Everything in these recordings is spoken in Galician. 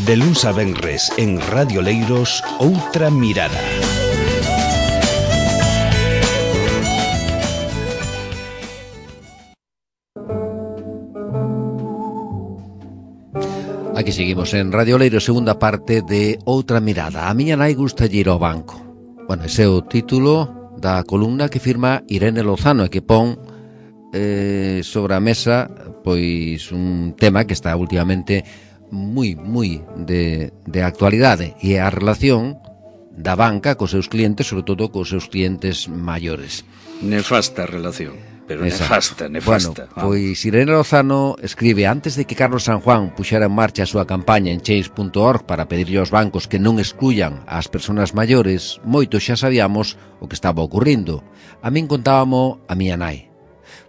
De luns a venres en Radio Leiros, Outra Mirada. Aquí seguimos en Radio Leiro, segunda parte de Outra Mirada. A miña nai gusta ir ao banco. Bueno, ese é o título da columna que firma Irene Lozano e que pon sobre a mesa pois un tema que está últimamente moi de actualidade, e é a relación da banca cos seus clientes, sobre todo cos seus clientes maiores. Nefasta relación. Pero nefasta. Bueno, pois Irene Lozano escribe: antes de que Carlos San Juan puxera en marcha a súa campaña en Change.org para pedirlle aos bancos que non excluyan ás persoas maiores, moitos xa sabíamos o que estaba ocurrindo. A min contábamo a miña nai.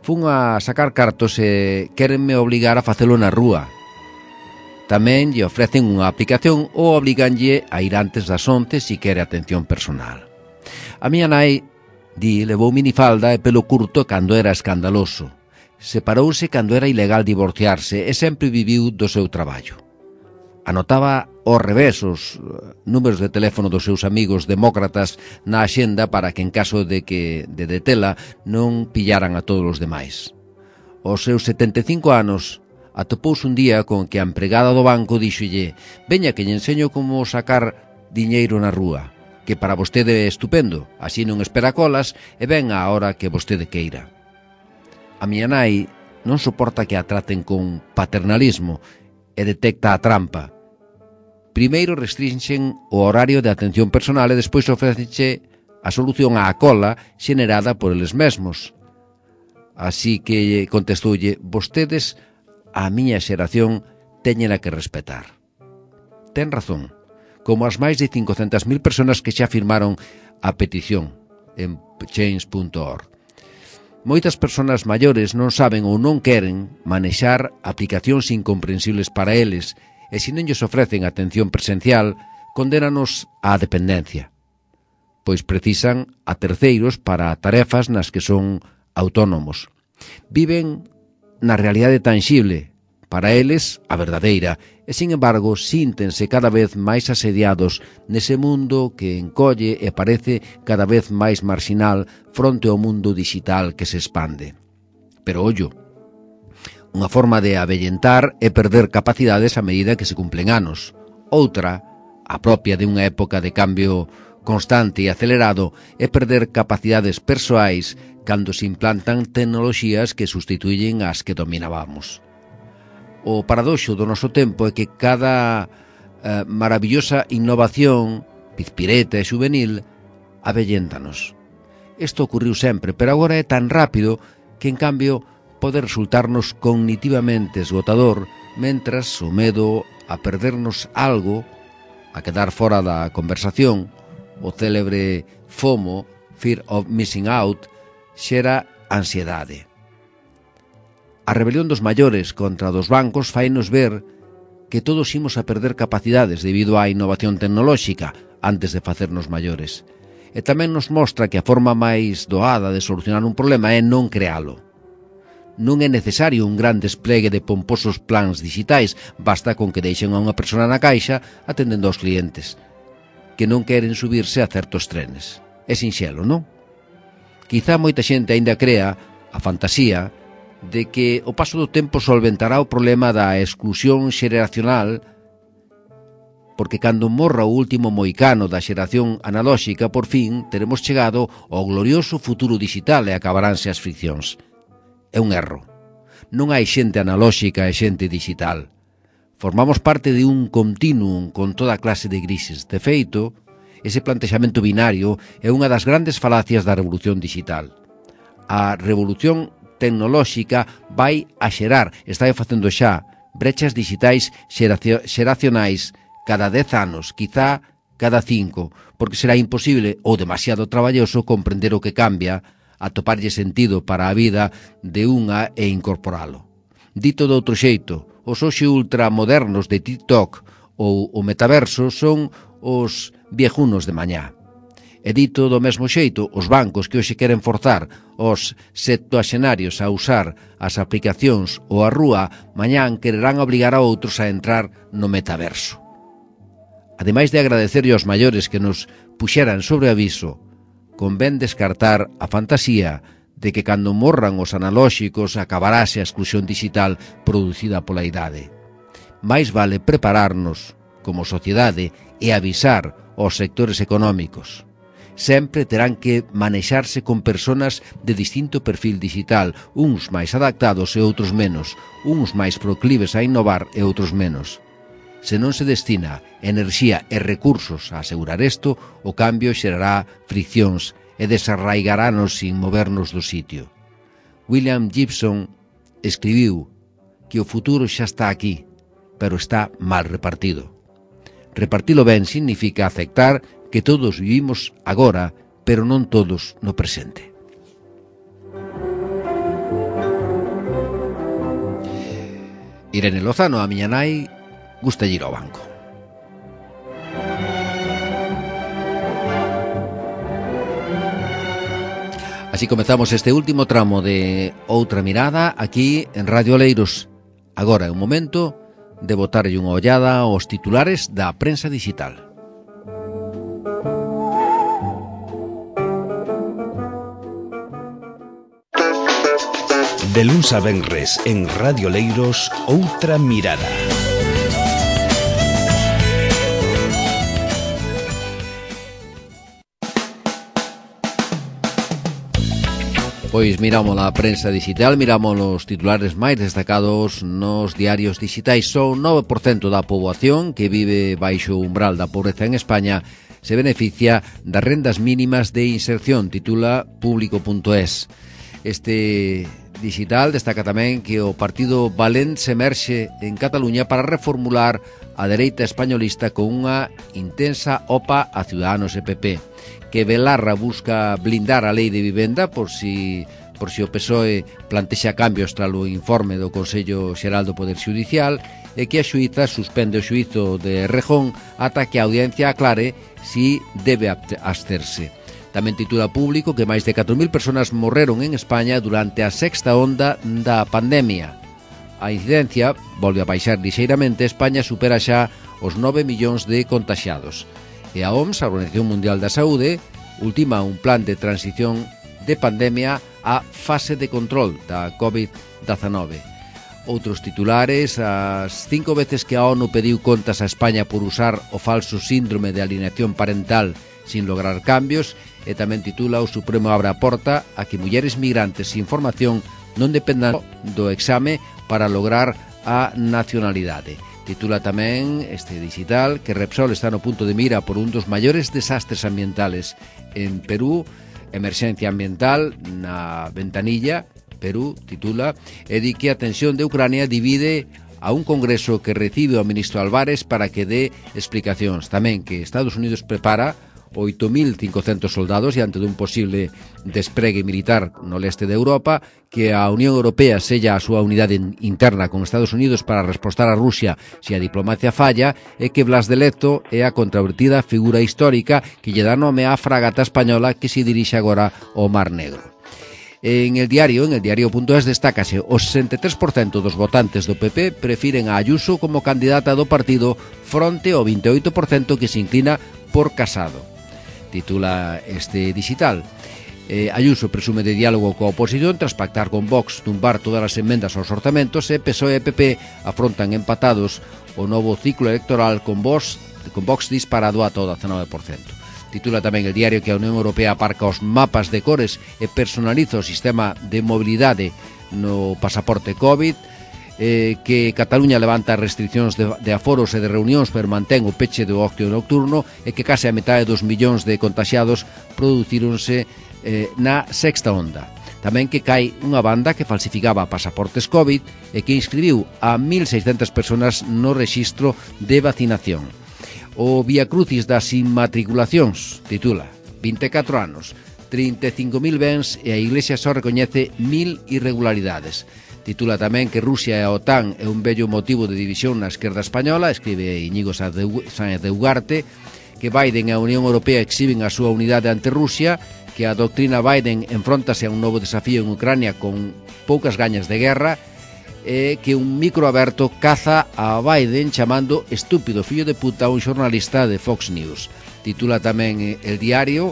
Fun a sacar cartos e querenme obligar a facelo na rúa. Tamén lle ofrecen unha aplicación ou obliganlle a ir antes das 11 si quere atención personal. A miña nai levou minifalda e pelo curto cando era escandaloso. Separouse cando era ilegal divorciarse e sempre viviu do seu traballo. Anotaba ao revés os números de teléfono dos seus amigos demócratas na axenda para que en caso de detela non pillaran a todos os demais. Aos seus 75 anos atopouse un día con que a empregada do banco díxolle: veña que lle enseño como sacar diñeiro na rúa, que para vostede é estupendo, así non espera colas e ven á hora que vostede queira. A miña nai non soporta que a traten con paternalismo e detecta a trampa. Primeiro restrinxen o horario de atención personal e despois ofrecenche a solución á cola xenerada por eles mesmos. Así que contestoulle: vostedes, a miña xeración, teñena que respetar. Ten razón, como as máis de 500.000 persoas que xa firmaron a petición en Change.org. Moitas persoas maiores non saben ou non queren manexar aplicacións incomprensibles para eles, e se non lles ofrecen atención presencial, condénanos á dependencia, pois precisan a terceiros para tarefas nas que son autónomos. Viven na realidade tangible, para eles a verdadeira, e, sin embargo, síntense cada vez máis asediados nese mundo que encolle e parece cada vez máis marxinal fronte ao mundo digital que se expande. Pero, ollo, unha forma de avellentar é perder capacidades a medida que se cumplen anos. Outra, a propia de unha época de cambio constante e acelerado, é perder capacidades persoais cando se implantan tecnoloxías que sustituyen as que dominábamos. O paradoxo do noso tempo é que cada maravillosa innovación, pizpireta e juvenil, avelléntanos. Isto ocurriu sempre, pero agora é tan rápido que, en cambio, pode resultarnos cognitivamente esgotador, mentras o medo a perdernos algo, a quedar fora da conversación, o célebre FOMO, Fear of Missing Out, xera ansiedade. A rebelión dos maiores contra dos bancos fainos ver que todos imos a perder capacidades debido á innovación tecnolóxica antes de facernos maiores. E tamén nos mostra que a forma máis doada de solucionar un problema é non crealo. Non é necesario un gran desplegue de pomposos plans digitais, basta con que deixen a unha persona na caixa atendendo aos clientes que non queren subirse a certos trenes. É sinxelo, non? Quizá moita xente aínda crea a fantasía de que o paso do tempo solventará o problema da exclusión xeracional, porque cando morra o último moicano da xeración analóxica, por fin teremos chegado ao glorioso futuro digital e acabaránse as friccións. É un erro. Non hai xente analóxica e xente digital. Formamos parte de un continuum con toda clase de grises. De feito, ese plantexamento binario é unha das grandes falacias da revolución digital. A revolución tecnolóxica vai a xerar, está facendo xa, brechas digitais xeracionais cada 10 anos, quizá cada 5, porque será imposible ou demasiado traballoso comprender o que cambia, atoparlle sentido para a vida de unha e incorporalo. Dito de outro xeito, os hoxe ultramodernos de TikTok ou o metaverso son os viejunos de mañá. E dito do mesmo xeito, os bancos que hoxe queren forzar os septuaxenarios a usar as aplicacións ou a rúa, mañán quererán obligar a outros a entrar no metaverso. Ademais de agradecerlle aos maiores que nos puxeran sobre aviso, convén descartar a fantasía de que cando morran os analóxicos acabarase a exclusión digital producida pola idade. Mais vale prepararnos como sociedade e avisar aos sectores económicos. Sempre terán que manexarse con personas de distinto perfil digital, uns máis adaptados e outros menos, uns máis proclives a innovar e outros menos. Se non se destina enerxía e recursos a asegurar isto, o cambio xerará friccións e desarraigarános sin movernos do sitio. William Gibson escribiu que o futuro xa está aquí, pero está mal repartido. Repartilo ben significa aceptar que todos vivimos agora, pero non todos no presente. Irene Lozano, a miña nai, gusta ir ao banco. Así comezamos este último tramo de Outra Mirada aquí en Radio Oleiros. Agora é un momento de botarlle unha ollada aos titulares da prensa digital. De luns a venres en Radio Oleiros, Outra Mirada. Pois miramos a prensa digital, miramos os titulares máis destacados nos diarios digitais. Son 9% da poboación que vive baixo o umbral da pobreza en España se beneficia das rendas mínimas de inserción, titula Público.es. Este digital destaca tamén que o partido Valent se emerxe en Cataluña para reformular a dereita españolista con unha intensa opa a Ciudadanos e PP, que Belarra busca blindar a lei de vivenda por si o PSOE plantexa cambios tras o informe do Consello Xeral do Poder Xudicial e que a xuíza suspende o xuízo de Rejón ata que a audiencia aclare si debe absterse. Tamén titula Público que máis de 4.000 personas morreron en España durante a sexta onda da pandemia. A incidencia volve a baixar lixeiramente, España supera xa os 9 millóns de contaxiados. E a OMS, a Organización Mundial da Saúde, ultima un plan de transición de pandemia á fase de control da COVID-19. Outros titulares, as 5 veces que a ONU pediu contas a España por usar o falso síndrome de alienación parental sin lograr cambios, e tamén titula o Supremo abre a porta a que mulleres migrantes sin formación non dependan do exame para lograr a nacionalidade. Titula tamén este digital que Repsol está no punto de mira por un dos maiores desastres ambientales en Perú, emerxencia ambiental na ventanilla. Perú, titula, e di que a tensión de Ucrania divide a un congreso que recibe ao ministro Álvarez para que dé explicacións. Tamén que Estados Unidos prepara 8.500 soldados diante dun posible despregue militar no leste de Europa, que a Unión Europea sella a súa unidade interna con Estados Unidos para respostar a Rusia se a diplomacia falla, e que Blas de Lezo é a controvertida figura histórica que lle dá nome á fragata española que se dirixe agora ao Mar Negro. En el diario.es destácase o 63% dos votantes do PP prefiren a Ayuso como candidata do partido fronte ao 28% que se inclina por Casado. Titula este digital. Ayuso presume de diálogo coa oposición tras pactar con Vox tumbar todas as emendas aos orzamentos, e PSOE e PP afrontan empatados o novo ciclo electoral con Vox disparado a todo 19%. Titula tamén el diario que a Unión Europea aparca os mapas de cores e personaliza o sistema de mobilidade no pasaporte COVID, que Cataluña levanta restriccións de aforos e de reunións pero mantén o peche do ocio nocturno, e que case a metade dos millóns de contaxiados producíronse na sexta onda. Tamén que cae unha banda que falsificaba pasaportes COVID e que inscribiu a 1.600 personas no rexistro de vacinación. O Viacrucis das inmatriculacións, titula, 24 anos, 35.000 bens e a Iglesia só recoñece 1.000 irregularidades. Titula tamén que Rusia e a OTAN é un vello motivo de división na esquerda española, escribe Íñigo Sáenz de Ugarte, que Biden e a Unión Europea exhiben a súa unidade ante Rusia, que a doctrina Biden enfróntase a un novo desafío en Ucrania con poucas gañas de guerra, que un micro aberto caza a Biden chamando estúpido fillo de puta a un xornalista de Fox News. Titula tamén El Diario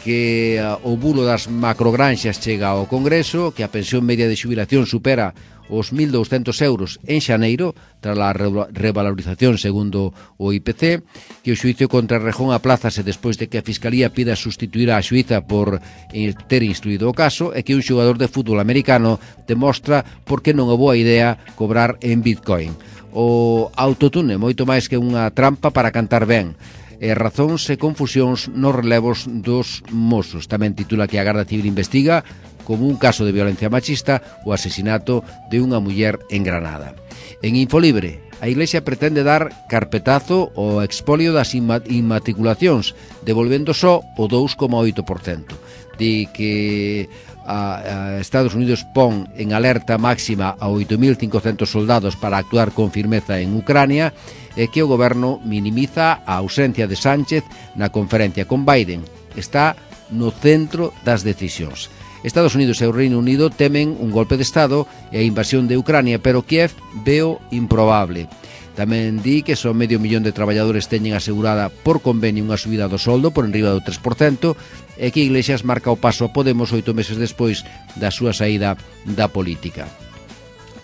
que o bulo das macrogranxas chega ao Congreso, que a pensión media de xubilación supera os 1.200 euros en xaneiro tras a revalorización segundo o IPC, que o xuicio contra Rejón aplázase despois de que a Fiscalía pida sustituir a xuíza por ter instruído o caso, e que un xogador de fútbol americano demostra por que non é boa idea cobrar en Bitcoin. O autotune moito máis que unha trampa para cantar ben, razóns e confusións nos relevos dos mozos. Tamén titula que a Garda Civil investiga como un caso de violencia machista o asesinato de unha muller en Granada. En Infolibre, a Iglesia pretende dar carpetazo ao expolio das inmatriculacións, devolvendo só o 2,8%. Di que a Estados Unidos pon en alerta máxima a 8.500 soldados para actuar con firmeza en Ucrania, e que o goberno minimiza a ausencia de Sánchez na conferencia con Biden. Está no centro das decisións. Estados Unidos e o Reino Unido temen un golpe de Estado e a invasión de Ucrania, pero Kiev veo improbable. Tamén di que só 500.000 de traballadores teñen asegurada por convenio unha subida do soldo por enriba do 3%, e que Iglesias marca o paso a Podemos 8 meses despois da súa saída da política.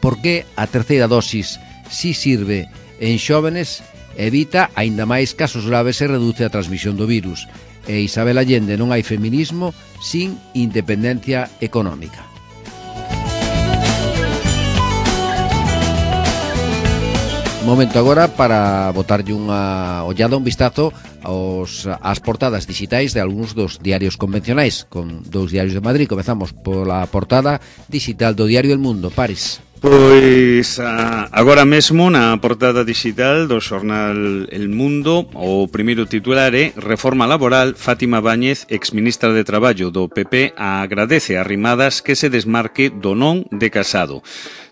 Por que a terceira dosis si sirve en xóvenes, evita aínda máis casos graves e reduce a transmisión do virus? E Isabel Allende, non hai feminismo sin independencia económica. Momento agora para botarlle unha ollada, un vistazo ás portadas digitais de algúns dos diarios convencionais, con dous diarios de Madrid. Comezamos pola portada digital do diario El Mundo. Paris. Pois agora mesmo na portada digital do xornal El Mundo o primeiro titular é Reforma laboral. Fátima Báñez, exministra de Traballo do PP, agradece a Rimadas que se desmarque do non de Casado.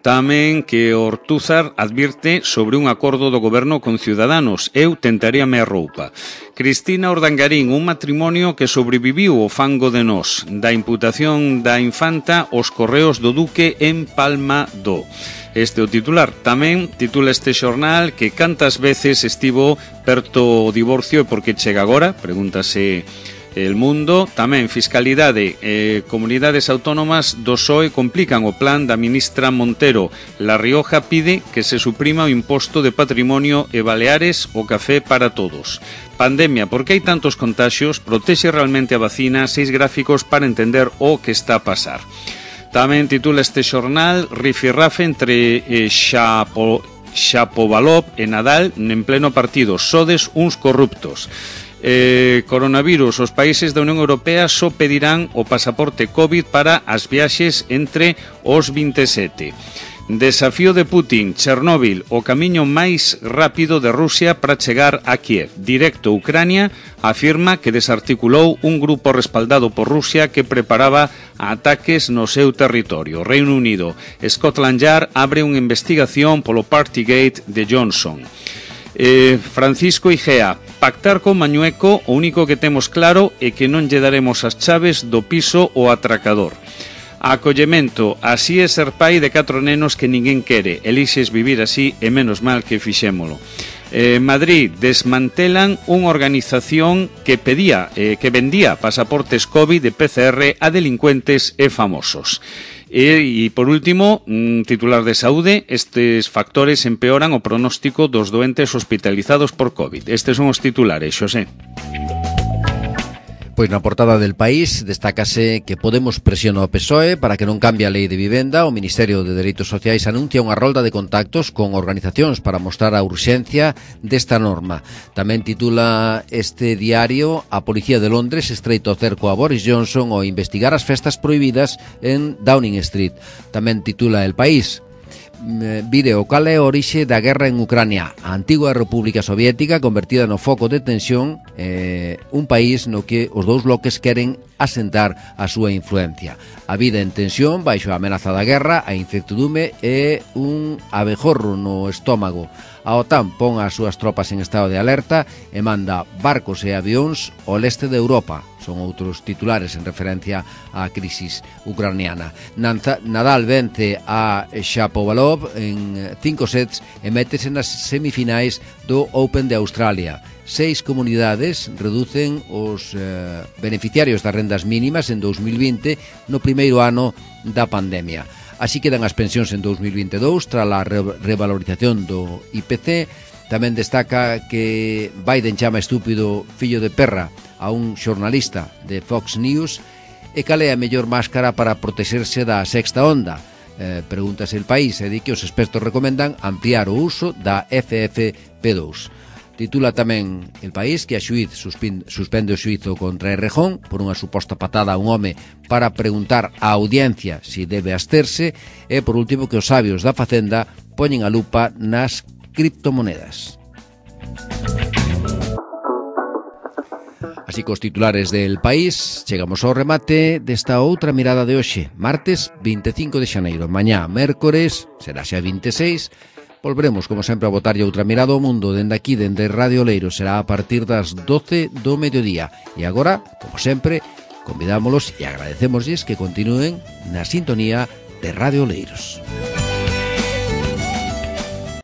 Tamén que Ortúzar advirte sobre un acordo do goberno con Ciudadanos. Eu tentaríame a roupa. Cristina Ordangarín, un matrimonio que sobreviviu o fango de Nós. Da imputación da infanta os correos do Duque en Palma do. Este o titular. Tamén titula este xornal que cantas veces estivo perto o divorcio e por que chega agora, pregúntase El Mundo. Tamén fiscalidade, comunidades autónomas do PSOE complican o plan da ministra Montero. La Rioja pide que se suprima o imposto de patrimonio e Baleares o café para todos. Pandemia, por que hai tantos contaxios? Protexe realmente a vacina? 6 gráficos para entender o que está a pasar. Tamén titula este xornal Rifirrafe entre Shapovalov e Nadal en pleno partido. Sodes uns corruptos. Coronavirus, os países da Unión Europea só pedirán o pasaporte COVID para as viaxes entre os 27. Desafío de Putin, Chernóbil, o camiño máis rápido de Rusia para chegar a Kiev. Directo Ucrania afirma que desarticulou un grupo respaldado por Rusia que preparaba ataques no seu territorio. Reino Unido, Scotland Yard abre unha investigación polo Partygate de Johnson. Francisco Igea, pactar con Mañueco, o único que temos claro é que non lle daremos as chaves do piso ao atracador. Acollemento, así é ser pai de 4 nenos que ninguén quere, elixes vivir así e menos mal que fixémolo. Madrid, desmantelan unha organización que vendía pasaportes COVID de PCR a delincuentes e famosos. E por último, titular de saúde, estes factores empeoran o pronóstico dos doentes hospitalizados por COVID. Estes son os titulares, Xosé. Pois na portada del País destácase que Podemos presiona o PSOE para que non cambie a lei de vivenda. O Ministerio de Dereitos Sociais anuncia unha rolda de contactos con organizacións para mostrar a urxencia desta norma. Tamén titula este diario A Policía de Londres estreita o cerco a Boris Johnson ao investigar as festas prohibidas en Downing Street. Tamén titula El País vídeo cal é a orixe da guerra en Ucrania, a antigua República Soviética convertida no foco de tensión, un país no que os dous bloques queren asentar a súa influencia. A vida en tensión baixo a amenaza da guerra, a incertidume e un abejorro no estómago. A OTAN pon as súas tropas en estado de alerta e manda barcos e avións ao leste de Europa. son outros titulares en referencia á crisis ucraniana. Nadal vence a Shapovalov en 5 sets e métese nas semifinais do Open de Australia. 6 comunidades reducen os beneficiarios das rendas mínimas en 2020 no primeiro ano da pandemia. Así quedan as pensións en 2022 tras a revalorización do IPC. Tamén destaca que Biden chama estúpido fillo de perra a un xornalista de Fox News e cal é a mellor máscara para protexerse da sexta onda. Pregúntase El País e di que os expertos recomendan ampliar o uso da FFP2. Titula tamén El País que a xuíz suspende o xuízo contra Errejón por unha suposta patada a un home para preguntar á audiencia se debe absterse, e por último que os sabios da Facenda poñen a lupa nas criptomonedas. Así cos titulares del País, chegamos ao remate desta outra mirada de hoxe, martes 25 de xaneiro. Mañá, mércores, será xa 26, volveremos, como sempre, a botarlle outra mirada ao mundo dende aquí, dende Radio Oleiros. Será a partir das 12 do mediodía. E agora, como sempre, convidámolos e agradecémoslles que continúen na sintonía de Radio Oleiros.